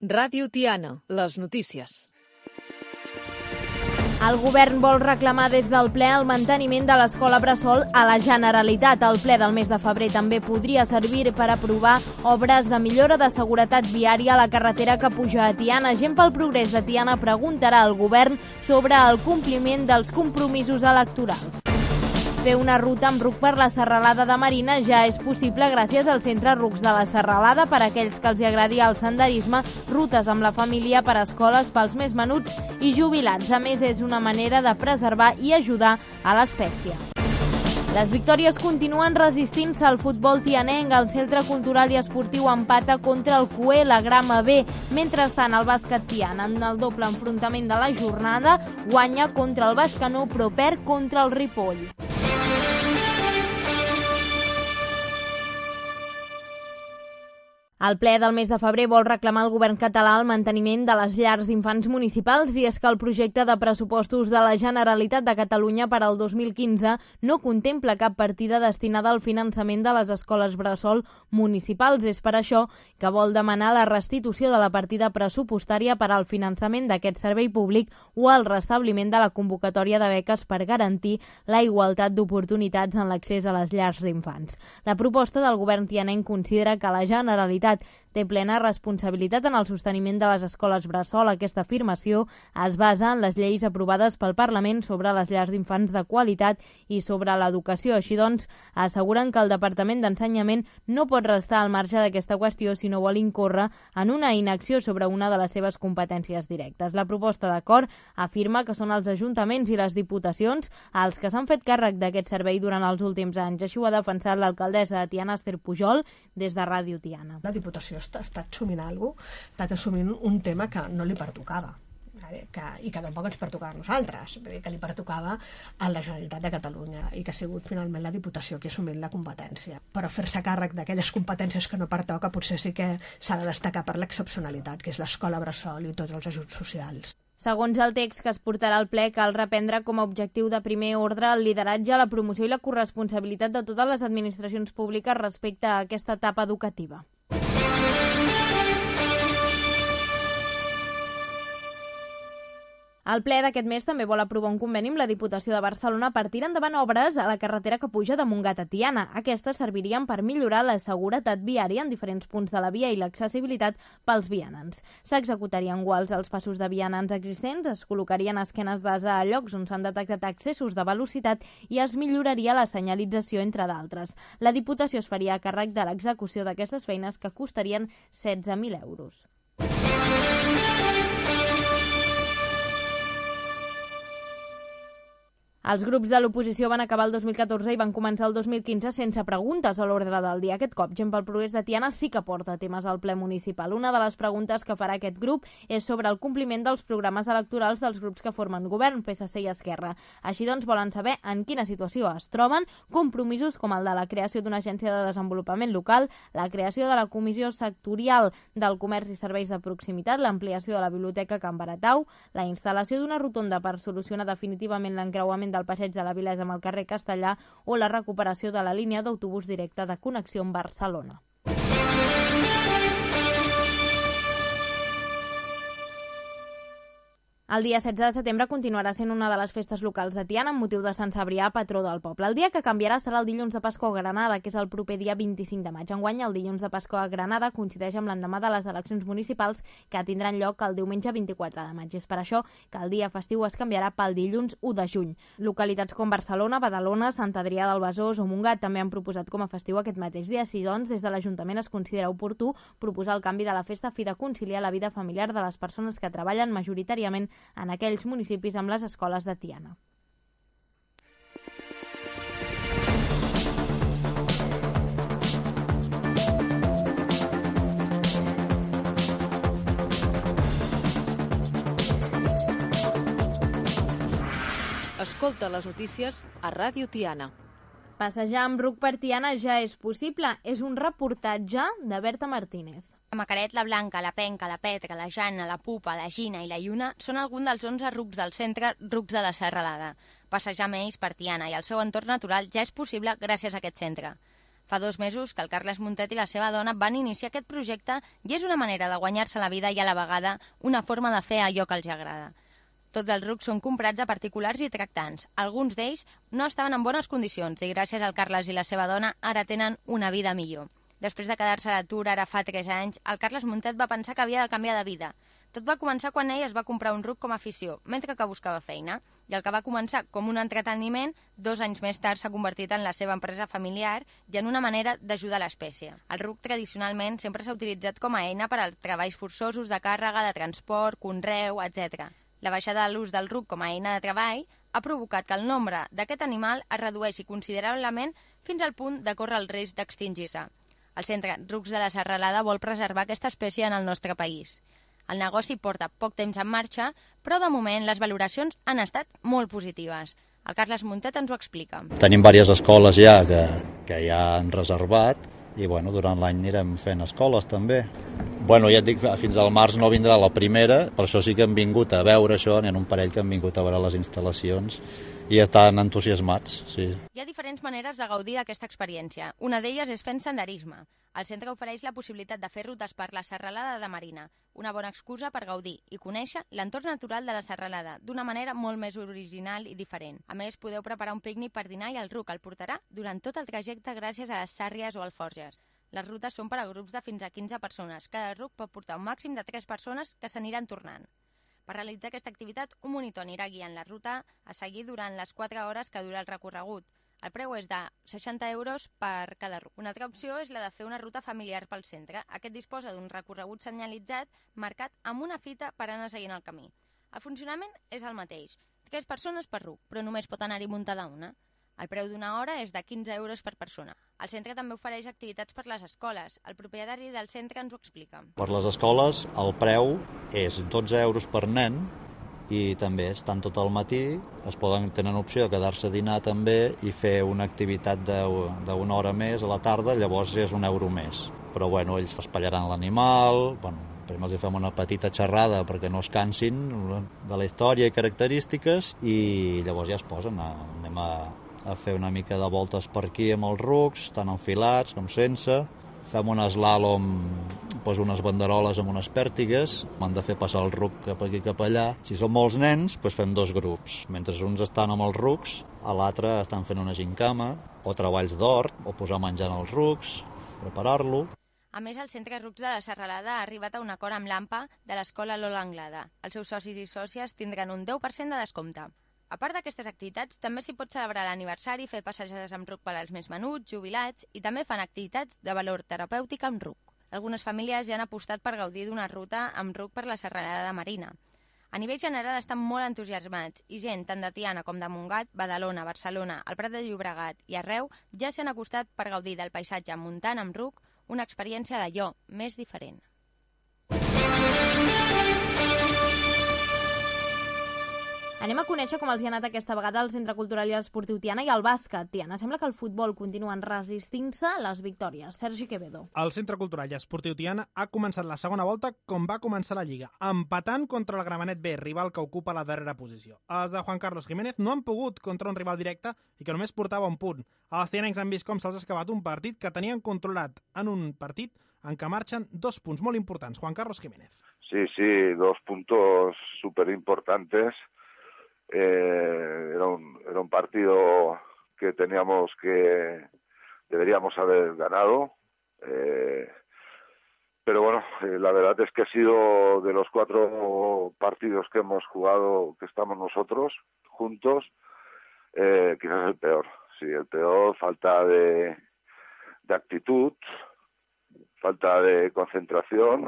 Ràdio Tiana, les notícies. El govern vol reclamar des del ple el manteniment de l'escola bressol a la Generalitat. El ple del mes de febrer també podria servir per aprovar obres de millora de seguretat viària a la carretera que puja a Tiana. Gent pel Progrés de Tiana preguntarà al govern sobre el compliment dels compromisos electorals. Fer una ruta amb RUC per la Serralada de Marina ja és possible gràcies al Centre RUCs de la Serralada per a aquells que els agradi el senderisme, rutes amb la família per a escoles pels més menuts i jubilats. A més, és una manera de preservar i ajudar a l'espècie. Les victòries continuen resistint-se al futbol tianenc. El Centre Cultural i Esportiu empata contra el CUE, la Grama B. Mentrestant, el bàsquet Tiana, en el doble enfrontament de la jornada, guanya contra el Bescanó, però perd contra el Ripoll. El ple del mes de febrer vol reclamar al govern català el manteniment de les llars d'infants municipals, i és que el projecte de pressupostos de la Generalitat de Catalunya per al 2015 no contempla cap partida destinada al finançament de les escoles bressol municipals. És per això que vol demanar la restitució de la partida pressupostària per al finançament d'aquest servei públic o el restabliment de la convocatòria de beques per garantir la igualtat d'oportunitats en l'accés a les llars d'infants. La proposta del govern tianenc considera que la Generalitat té plena responsabilitat en el sosteniment de les escoles bressol. Aquesta afirmació es basa en les lleis aprovades pel Parlament sobre les llars d'infants de qualitat i sobre l'educació. Així doncs, asseguren que el Departament d'Ensenyament no pot restar al marge d'aquesta qüestió si no vol incórrer en una inacció sobre una de les seves competències directes. La proposta d'acord afirma que són els ajuntaments i les diputacions els que s'han fet càrrec d'aquest servei durant els últims anys. Així ho ha defensat l'alcaldessa de Tiana, Esther Pujol, des de Ràdio Tiana. La Diputació està assumint alguna cosa, està assumint un tema que no li pertocava i que tampoc ens pertocava a nosaltres, que li pertocava a la Generalitat de Catalunya i que ha sigut finalment la Diputació qui ha assumit la competència. Però fer-se càrrec d'aquelles competències que no pertoca potser sí que s'ha de destacar per l'excepcionalitat, que és l'escola bressol i tots els ajuts socials. Segons el text que es portarà al ple, cal reprendre com a objectiu de primer ordre el lideratge, la promoció i la corresponsabilitat de totes les administracions públiques respecte a aquesta etapa educativa. El ple d'aquest mes també vol aprovar un conveni amb la Diputació de Barcelona per tirar endavant obres a la carretera que puja de Montgat a Tiana. Aquestes servirien per millorar la seguretat viària en diferents punts de la via i l'accessibilitat pels vianants. S'executarien guals als passos de vianants existents, es col·locarien esquenes d'ase a llocs on s'han detectat excessos de velocitat i es milloraria la senyalització, entre d'altres. La Diputació es faria a càrrec de l'execució d'aquestes feines, que costarien 16.000 euros. Els grups de l'oposició van acabar el 2014 i van començar el 2015 sense preguntes a l'ordre del dia. Aquest cop, Gent pel Progrés de Tiana sí que porta temes al ple municipal. Una de les preguntes que farà aquest grup és sobre el compliment dels programes electorals dels grups que formen govern, PSC i Esquerra. Així doncs, volen saber en quina situació es troben compromisos com el de la creació d'una agència de desenvolupament local, la creació de la Comissió Sectorial del Comerç i Serveis de Proximitat, l'ampliació de la Biblioteca Can Baratau, la instal·lació d'una rotonda per solucionar definitivament l'encreuament del passeig de la Vilesa amb el carrer Castellà o la recuperació de la línia d'autobús directe de connexió amb Barcelona. El dia 16 de setembre continuarà sent una de les festes locals de Tiana amb motiu de Sant Cebrià, patró del poble. El dia que canviarà serà el dilluns de Pasqua a Granada, que és el proper dia 25 de maig. Enguany, el dilluns de Pasqua a Granada coincideix amb l'endemà de les eleccions municipals que tindran lloc el diumenge 24 de maig. És per això que el dia festiu es canviarà pel dilluns 1 de juny. Localitats com Barcelona, Badalona, Sant Adrià del Besòs o Montgat també han proposat com a festiu aquest mateix dia. Així doncs, des de l'Ajuntament es considera oportú proposar el canvi de la festa a fi de conciliar la vida familiar de les persones que treballen majoritàriament en aquells municipis amb les escoles de Tiana. Escolta les notícies a Ràdio Tiana. Passejar amb RUC per Tiana ja és possible. És un reportatge de Berta Martínez. La Macaret, la Blanca, la Penca, la Petra, la Jana, la Pupa, la Gina i la Lluna són alguns dels 11 RUCs del centre RUCs de la Serralada. Passejar amb ells per Tiana i el seu entorn natural ja és possible gràcies a aquest centre. Fa 2 mesos que el Carles Muntet i la seva dona van iniciar aquest projecte i és una manera de guanyar-se la vida i a la vegada una forma de fer allò que els agrada. Tots els rucs són comprats a particulars i tractants. Alguns d'ells no estaven en bones condicions i gràcies al Carles i la seva dona ara tenen una vida millor. Després de quedar-se a l'atur ara fa 3 anys, el Carles Muntet va pensar que havia de canviar de vida. Tot va començar quan ell es va comprar un ruc com a afició, mentre que buscava feina. I el que va començar com un entreteniment, 2 anys més tard s'ha convertit en la seva empresa familiar i en una manera d'ajudar l'espècie. El ruc tradicionalment sempre s'ha utilitzat com a eina per als treballs forçosos de càrrega, de transport, conreu, etc. La baixada de l'ús del ruc com a eina de treball ha provocat que el nombre d'aquest animal es redueixi considerablement fins al punt de córrer el risc d'extingir-se. El Centre Rucs de la Serralada vol preservar aquesta espècie en el nostre país. El negoci porta poc temps en marxa, però de moment les valoracions han estat molt positives. El Carles Muntet ens ho explica. Tenim diverses escoles ja que ja han reservat i durant l'any anirem fent escoles també. Ja et dic, fins al març no vindrà la primera, per això sí que hem vingut a veure això, n'hi ha un parell que han vingut a veure les instal·lacions i estan entusiasmats, sí. Hi ha diferents maneres de gaudir d'aquesta experiència. Una d'elles és fent senderisme. El centre ofereix la possibilitat de fer rutes per la Serralada de Marina, una bona excusa per gaudir i conèixer l'entorn natural de la Serralada d'una manera molt més original i diferent. A més, podeu preparar un pícnic per dinar i el ruc el portarà durant tot el trajecte gràcies a les sàrries o alforges. Les rutes són per a grups de fins a 15 persones. Cada ruc pot portar un màxim de 3 persones que s'aniran tornant. Per realitzar aquesta activitat, un monitor anirà guiant la ruta a seguir durant les 4 hores que dura el recorregut. El preu és de 60 euros per cada ruc. Una altra opció és la de fer una ruta familiar pel centre. Aquest disposa d'un recorregut senyalitzat marcat amb una fita per anar seguint el camí. El funcionament és el mateix. 3 persones per ruc, però només pot anar-hi muntada una. El preu d'una hora és de 15 euros per persona. El centre també ofereix activitats per les escoles. El propietari del centre ens ho explica. Per les escoles el preu és 12 euros per nen i també estan tot el matí, tenen opció de quedar-se a dinar també i fer una activitat d'una hora més a la tarda, llavors és 1 euro més. Però ells espallaran l'animal, primer els fem una petita xerrada perquè no es cansin de la història i característiques i llavors ja es posen, anem a fer una mica de voltes per aquí amb els rucs, tant enfilats com sense. Fem un slalom, unes banderoles amb unes pèrtigues, hem de fer passar el ruc cap aquí cap allà. Si són molts nens, fem 2 grups. Mentre uns estan amb els rucs, a l'altre estan fent una gincama, o treballs d'hort, o posar menjar als rucs, preparar-lo. A més, el Centre Rucs de la Serralada ha arribat a un acord amb l'AMPA de l'Escola Lola Anglada. Els seus socis i sòcies tindran un 10% de descompte. A part d'aquestes activitats, també s'hi pot celebrar l'aniversari, fer passejades amb ruc per als més menuts, jubilats, i també fan activitats de valor terapèutic amb ruc. Algunes famílies ja han apostat per gaudir d'una ruta amb ruc per la Serralada de Marina. A nivell general estan molt entusiasmats i gent tant de Tiana com de Montgat, Badalona, Barcelona, el Prat de Llobregat i arreu ja s'han acostat per gaudir del paisatge muntant amb ruc, una experiència d'allò més diferent. Anem a conèixer com els hi ha anat aquesta vegada al Centre Cultural i Esportiu Tiana i al bàsquet. Tiana, sembla que el futbol continuen resistint-se a les victòries. Sergi Quevedo. El Centre Cultural i Esportiu Tiana ha començat la segona volta com va començar la Lliga, empatant contra el Gramenet B, rival que ocupa la darrera posició. Els de Juan Carlos Jiménez no han pogut contra un rival directe i que només portava un punt. Els tianencs han vist com se'ls ha acabat un partit que tenien controlat en un partit en què marxen 2 punts molt importants. Juan Carlos Jiménez. Sí, 2 puntos súper importantes. Era un partido que deberíamos haber ganado, pero bueno, la verdad es que ha sido de los 4 partidos que hemos jugado, que estamos nosotros juntos, quizás el peor. Sí, el peor, falta de actitud, falta de concentración.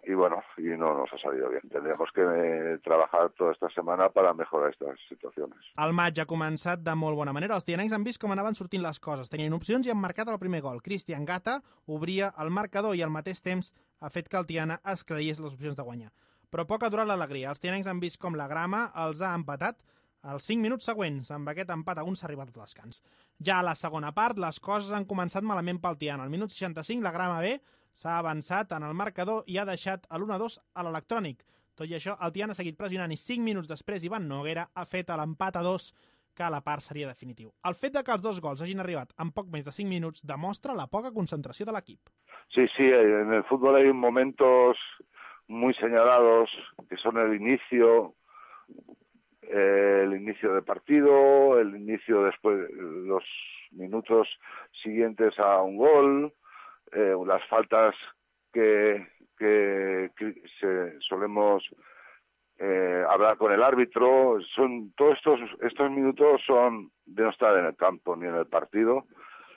Y bueno, y no nos ha salido bien. Tendríamos que trabajar toda esta semana para mejorar estas situaciones. El maig ha començat de molt bona manera. Els tianencs han vist com anaven sortint les coses. Tenien opcions i han marcat el primer gol. Cristian Gata obria el marcador i al mateix temps ha fet que el Tiana esclaís les opcions de guanyar. Però poc ha durat l'alegria. Els tianencs han vist com la grama els ha empatat als 5 minuts següents. Amb aquest empat a 1 s'ha arribat al descans. Ja a la segona part, les coses han començat malament pel Tiana. Al minut 65, la grama B s'ha avançat en el marcador i ha deixat l'1-2 a l'electrònic. Tot i això, el Tiana ha seguit pressionant i 5 minuts després Ivan Noguera ha fet l'empat a 2 que a la part seria definitiu. El fet de que els 2 gols hagin arribat en poc més de 5 minuts demostra la poca concentració de l'equip. Sí, en el fútbol hay momentos muy señalados que son el inicio de partido, el inicio después, los minutos siguientes a un gol, las faltas que solemos hablar con el árbitro. Son todos estos minutos son de no estar en el campo ni en el partido,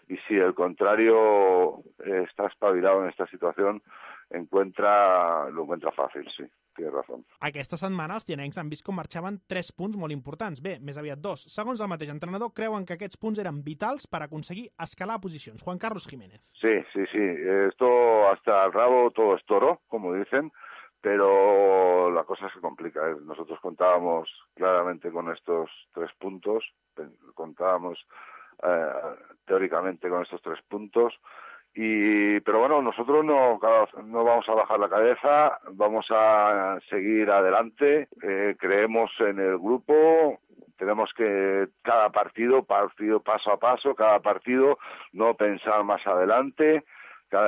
y si el contrario está espabilado en esta situación, lo encuentra fàcil, sí, tienes razón. Aquesta setmana els tianencs han vist com marxaven 3 punts molt importants. Bé, més aviat 2. Segons el mateix entrenador, creuen que aquests punts eren vitals per aconseguir escalar posicions. Juan Carlos Jiménez. Sí. Esto hasta el rabo todo es toro, como dicen, pero la cosa se complica. Nosotros contábamos claramente con estos 3 puntos, contábamos teóricamente con estos 3 puntos, pero bueno, nosotros no vamos a bajar la cabeza, vamos a seguir adelante, creemos en el grupo, tenemos que cada partido paso a paso, cada partido no pensar más adelante,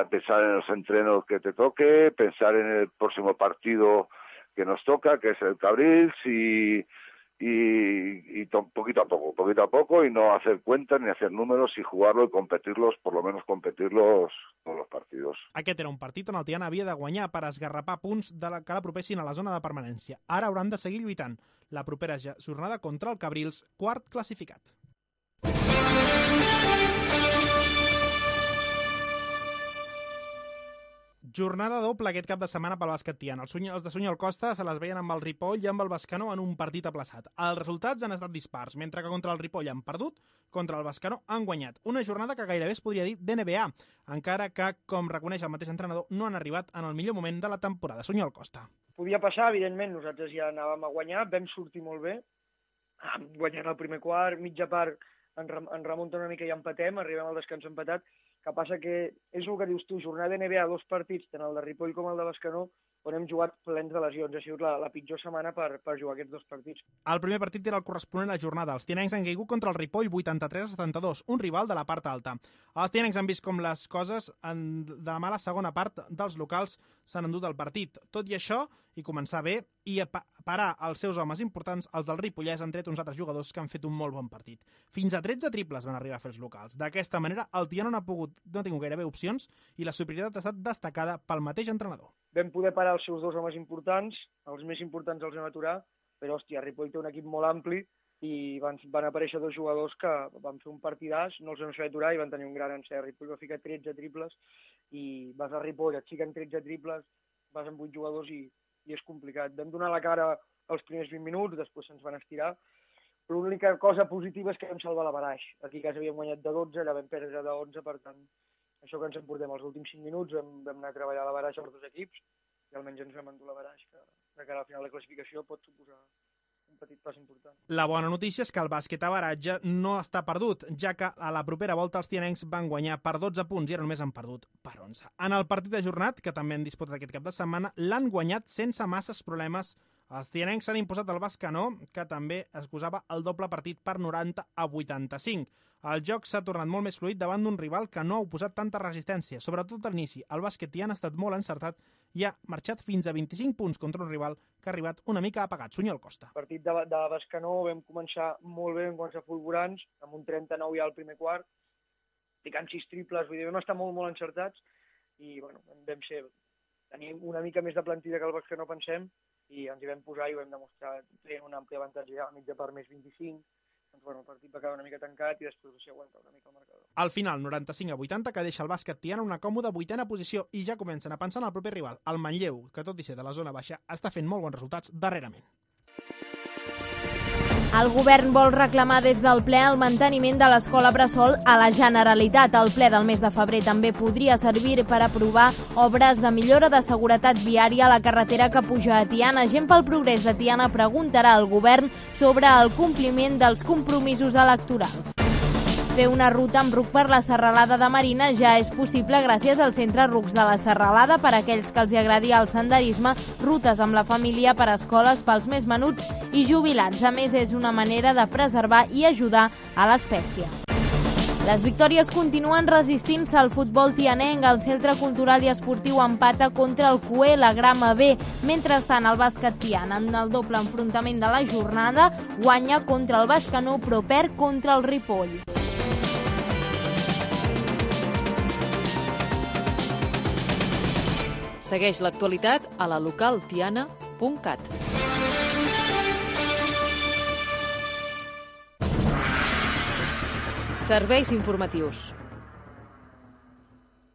pensar en los entrenos que te toque, pensar en el próximo partido que nos toca, que es el Cabrils, y poquito a poco, y no hacer cuentas ni hacer números, y jugarlo y competirlos, por lo menos competirlos todos los partidos. Aquest era un partit on el Tiana havia de guanyar per esgarrapar punts que l'apropessin a la zona de permanència. Ara hauran de seguir lluitant la propera jornada contra el Cabrils, quart classificat. Jornada doble aquest cap de setmana pel bàsquet tiana. Els de Sunyol Costa se les veien amb el Ripoll i amb el Bescanó en un partit aplaçat. Els resultats han estat dispars, mentre que contra el Ripoll han perdut, contra el Bescanó han guanyat. Una jornada que gairebé es podria dir d'NBA, encara que, com reconeix el mateix entrenador, no han arribat en el millor moment de la temporada. Sunyol Costa. Podia passar, evidentment, nosaltres ja anàvem a guanyar, vam sortir molt bé, guanyant el primer quart, mitja part en remunta una mica i empatem, arribem al descans empatat. Que passa que és el que dius tu, jornada de NBA, 2 partits, tant el de Ripoll com el de Bescanó, on hem jugat plens de lesions. Ha sigut la pitjor setmana per jugar aquests 2 partits. El primer partit era el corresponent a la jornada. Els tianencs han caigut contra el Ripoll 83-72, un rival de la part alta. Els tianencs han vist com les coses de la mala segona part dels locals s'han endut el partit. Tot i això, i començar bé, i a parar els seus homes importants, els del Ripollès han tret uns altres jugadors que han fet un molt bon partit. Fins a 13 triples van arribar a fer els locals. D'aquesta manera, el Tiana no ha tingut gairebé opcions i la superioritat ha estat destacada pel mateix entrenador. Vam poder parar els seus 2 homes importants, els més importants els vam aturar, però, hòstia, Ripoll té un equip molt ampli i van aparèixer 2 jugadors que van fer un partidàs, no els vam fer aturar i van tenir un gran encert. Ripoll va ficar 13 triples i vas a Ripoll, et fiquen 13 triples, vas amb 8 jugadors i és complicat. Vam donar la cara els primers 20 minuts, després se'ns van estirar, però l'única cosa positiva és que vam salvar la baraix. Aquí a casa havíem guanyat de 12, allà vam perdre de 11, per tant, això que ens emportem els últims 5 minuts, vam anar a treballar a la baraix als 2 equips, i almenys ens vam endur la baraix, que de cara al final de classificació pot suposar un petit pas important. La bona notícia és que el bàsquet a baratge no està perdut, ja que a la propera volta els tianencs van guanyar per 12 punts i ara només han perdut per 11. En el partit ajornat, que també han disputat aquest cap de setmana, l'han guanyat sense masses problemes. Els tianencs s'han imposat el Bescanó, que també es posava el doble partit per 90-85. El joc s'ha tornat molt més fluid davant d'un rival que no ha oposat tanta resistència, sobretot a l'inici. El bàsquet tiana ha estat molt encertat i ha marxat fins a 25 punts contra un rival que ha arribat una mica apagat. Sunyol Costa. El partit de Bescanó vam començar molt bé, vam començar fulgurants, amb un 39 ja al primer quart, ficant 6 triples, vull dir, vam estar molt encertats i bueno, vam tenir una mica més de plantilla que el Bescanó, pensem, i ens hi vam posar i ho vam demostrar, tenint un ampli avantatge ja a mitja part més 25. Doncs, bueno, el partit va quedar una mica tancat i després s'hi aguanta una mica el marcador. Al final, 95-80, que deixa el bàsquet tiana una còmoda 8a posició i ja comencen a pensar en el proper rival, el Manlleu, que tot i ser de la zona baixa, està fent molt bons resultats darrerament. El govern vol reclamar des del ple el manteniment de l'escola bressol a la Generalitat. El ple del mes de febrer també podria servir per aprovar obres de millora de seguretat viària a la carretera que puja a Tiana. Gent pel Progrés de Tiana preguntarà al govern sobre el compliment dels compromisos electorals. Fer una ruta amb ruc per la Serralada de Marina ja és possible gràcies al Centre Rucs de la Serralada per a aquells que els agradi el senderisme, rutes amb la família per a escoles pels més menuts i jubilats. A més, és una manera de preservar i ajudar a l'espècie. Les victòries continuen resistint-se al futbol tianenc. El Centre Cultural i Esportiu empata contra el Cué, la Grama B. Mentrestant, el bàsquet Tiana, en el doble enfrontament de la jornada, guanya contra el Bescanó, però perd contra el Ripoll. Segueix l'actualitat a la localtiana.cat. Serveis informatius.